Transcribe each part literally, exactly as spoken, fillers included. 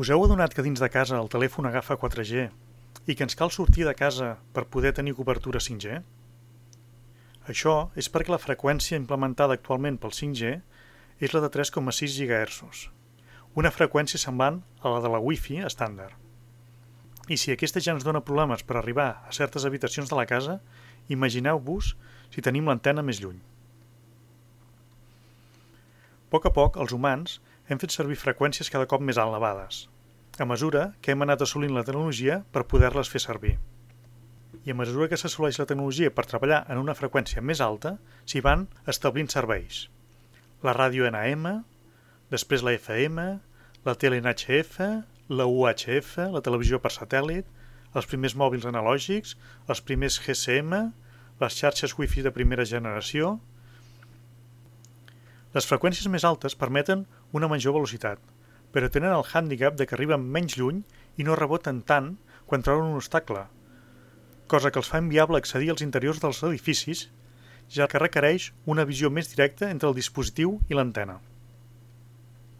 Us heu adonat que dins de casa el telèfon agafa quatre G i que ens cal sortir de casa per poder tenir cobertura cinc G? Això és perquè la freqüència implementada actualment pel cinc G és la de tres coma sis gigahertzs, una freqüència semblant a la de la Wi-Fi estàndard. I si aquesta ja ens dona problemes per arribar a certes habitacions de la casa, imagineu-vos si tenim l'antena més lluny. A poc a poc, els humans hem fet servir freqüències cada cop més elevades, a mesura que hem anat assolint la tecnologia per poder-les fer servir. I a mesura que s'assoleix la tecnologia per treballar en una freqüència més alta, s'hi van establint serveis. La ràdio N M, després la F M, la tele en H F, la U H F, la televisió per satèl·lit, els primers mòbils analògics, els primers G S M, les xarxes Wi-Fi de primera generació. Les freqüències més altes permeten una major velocitat, però tenen el hàndicap de que arriben menys lluny i no reboten tant quan troben un obstacle, cosa que els fa inviable accedir als interiors dels edificis, ja que requereix una visió més directa entre el dispositiu i l'antena.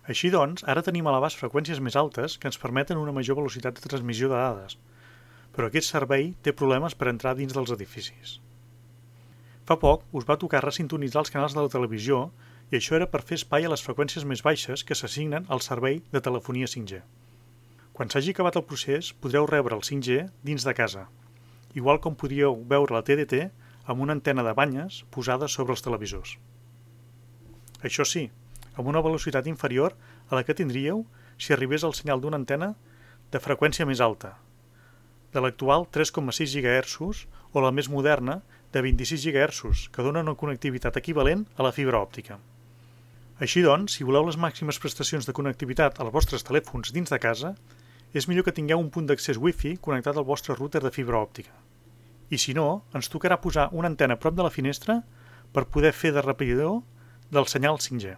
Així doncs, ara tenim a l'abast freqüències més altes que ens permeten una major velocitat de transmissió de dades, però aquest servei té problemes per entrar dins dels edificis. Fa poc us va tocar resintonitzar els canals de la televisió i això era per fer espai a les freqüències més baixes que s'assignen al servei de telefonia cinc G. Quan s'hagi acabat el procés, podreu rebre el cinc G dins de casa, igual com podríeu veure la T D T amb una antena de banyes posada sobre els televisors. Això sí, amb una velocitat inferior a la que tindríeu si arribés el senyal d'una antena de freqüència més alta, de l'actual tres coma sis gigahertzs o la més moderna de vint-i-sis gigahertzs, que dona una connectivitat equivalent a la fibra òptica. Així doncs, si voleu les màximes prestacions de connectivitat als vostres telèfons dins de casa, és millor que tingueu un punt d'accés Wi-Fi connectat al vostre router de fibra òptica. I si no, ens tocarà posar una antena a prop de la finestra per poder fer de repetidor del senyal cinc G.